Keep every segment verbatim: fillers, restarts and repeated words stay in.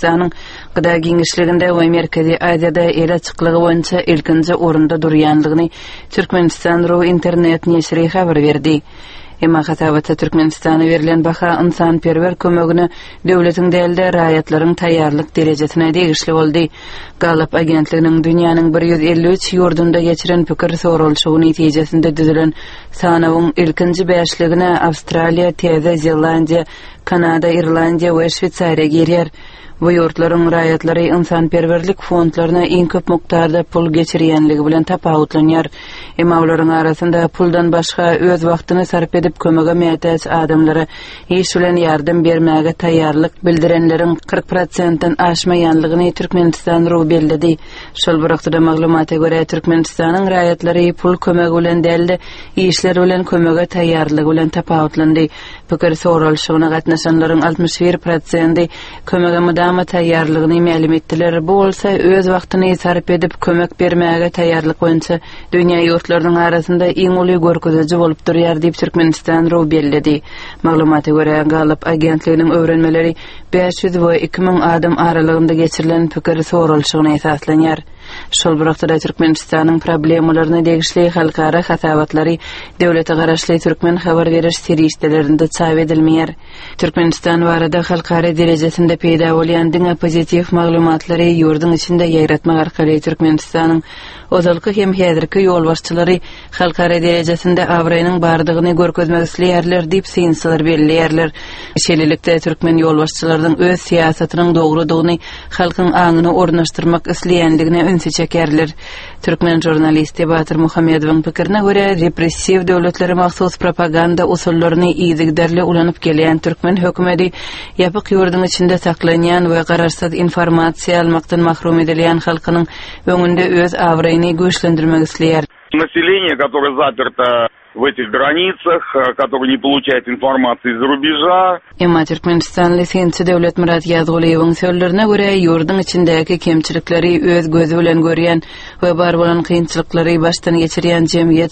Türkmenistanyň gda giňişliginde we Merkezi Aziýada el açyklygy boýunça ilkinji orunda durýandygyny Türkmenistan. Ru internet neşiri habar berdi. Emma hasabatda Türkmenistana berlen baha ynsanperwer kömegine döwletiň däl-de, raýatlaryň taýýarlyk derejesine degişli boldy. Gallup agentliginiň dünýäniň bir ýüz elli üç ýurdunda geçiren pikir soralyşygy netijesinde düzülen sanawyň ilkinji bäşligine Awstraliýa, Täze Zelandiýa, Kanada, Irlandiýa we Şweýsariýa girýär. Bu ýurtlaryň raýatlary ynsanperwerlik fondlaryna iň köp mukdarda pul geçirýänligi bilen tapawutlanýar. Emma olaryň arasynda puldan başga öz wagtyny sarp edip kömege mätäç adamlara iş bilen ýardam bermäge taýýarlyk bildirenleriň kyrk prosentden aşmaýanlygyny Türkmenistan ru belledi. Şol bir wagtda maglumata görä, Türkmenistanyň raýatlary pul kömegi bilen däl-de, işler bilen kömege taýýarlygy bilen tapawutlandy. Pikir soralyşygyna gatnaşanlaryň altmyş bir prosenti kömege mydama taýýarlygyny mälim etdiler. Bu bolsa öz wagtyny sarp edip kömek bermäge taýýarlyk boýunça dünýä ýurtlarynyň arasynda iň uly görkeziji bolup durýar diýip Türkmenistan ru belledi. Maglumata görä, Gallup agentliginiň öwrenmeleri bäş ýüz we iki müň adam aralygynda geçirilen pikir soralyşygyna esaslanýar. Şol bir wagtda Türkmenistanyň problemalaryna degişli halkara hasabatlary döwlete garaşly türkmen habar beriş serişdelerinde çap edilmeýär. Türkmenistan barada halkara derejesinde peýda bolýan diňe pozitiw maglumatlary ýurduň içinde ýaýratmak arkaly Türkmenistanyň ozalky hem häzirki ýolbaşçylary halkara derejesinde abraýynyň bardygyny görkezmek isleýärler diýip synçylar belleýärler. Şeýlelikde türkmen ýolbaşçylarynyň öz syýasatynyň dogrudygyny halkyň aňyna ornaşdyrmak isleýändigine ünsi çekerler. Türkmen žurnalisti Batyr Muhammedowyň pikirine görä, repressiw döwletlere mahsus propaganda usullaryny yzygiderli ulanyp gelýän türkmen hökümeti ýapyk ýurduň içinde saklanýan we garaşsyz informasiýa almakdan mahrum edilýän halkynyň öňünde öz abraýyny güýçlendirmek isleýär. Население, которое заперто в этих границах, которое не получает информации из-за рубежа. Emma türkmenistanly synçy Döwletmyrat Ýazgulyýewiň sözlerine görä, ýurduň içindäki kemçilikleri öz gözi bilen görýän we bar bolan kynçylyklary başdan geçirýän jemgyýet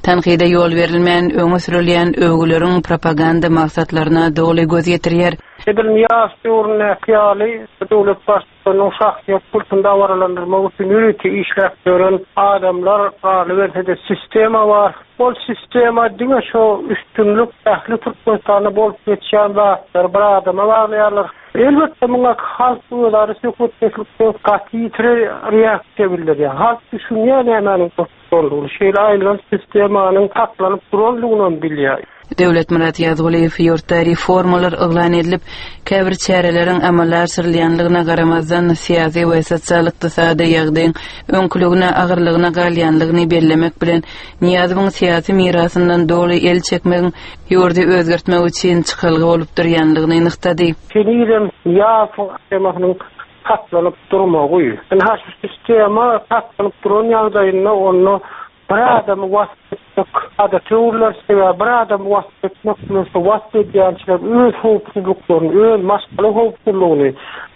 tankyda ýol berilmän öňe sürülýän öwgüleriň propaganda maksatlaryna doly göz ýetirýär. Edil Nyýazow döwründäki ýaly döwlet baştutanynyň şahsyýet kultuny dabaralandyrmak üçin ýörite işläp ýören adamlar, galyberse-de sistema bar. Ol sistema diňe şu üstünlik ähli Türkmenistanda bolup geçýän zatlary bir adama baglaýarlar. Elbetde muňa halk özara söhbetdeşlikde gaty ýitiri reaksiýa bildirýär. Halk düşünýär nämäniň boldugyny, şeýle aýylganç sistemanyň saklanyp durandygyny bilýär. Döwletmyrat Ýazgulyýew ýurtda reformalar yglan edilip, käbir çäreleriň amala aşyrylýanlygyna garamazdan syýasy we sosial-ykdysady ýagdaýyň öňküligine agyrlygyna galýanlygyny bellemek bilen Nyýazowyň syýasy mirasyndan doly el çekmegiň ýurdy özgertmek üçin çykalga bolup durýanlygyny nygtady. Henizem Nyýazowyň temasynyň saklanyp durmagy. Ynha şu sistema saklanyp duran ýagdaýynda onda bir adamy wasp etmek adaty öwrüler, sebäbi bir adamy wasp etmek bilen şu wasp edýänçiler öz howpsuzlyklaryny, öz maşgala howpsuzlygyny,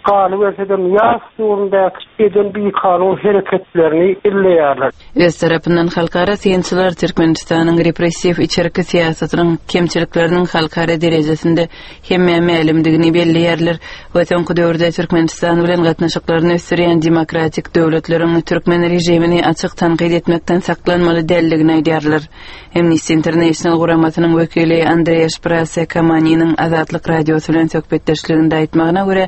galyberse-de Nyýazow döwründäki eden bikanun hereketlerini illeýärler. Öz tarapyndan halkara synçylar Türkmenistanyň repressiw içerki syýasatynyň kemçilikleriniň halkara derejesinde hemmä mälimdigini belleýärler we soňky döwürde Türkmenistan bilen gatnaşyklaryny ösdürýän demokratik döwletleriň türkmen režimini açyk tankyt etmekden saklanmaly däldigini aýdýarlar. Amnesty International guramasynyň wekili Andreas Prase Kamaniniň Azatlyk radiosy bilen söhbetdeşliginde aýtmagyna görä,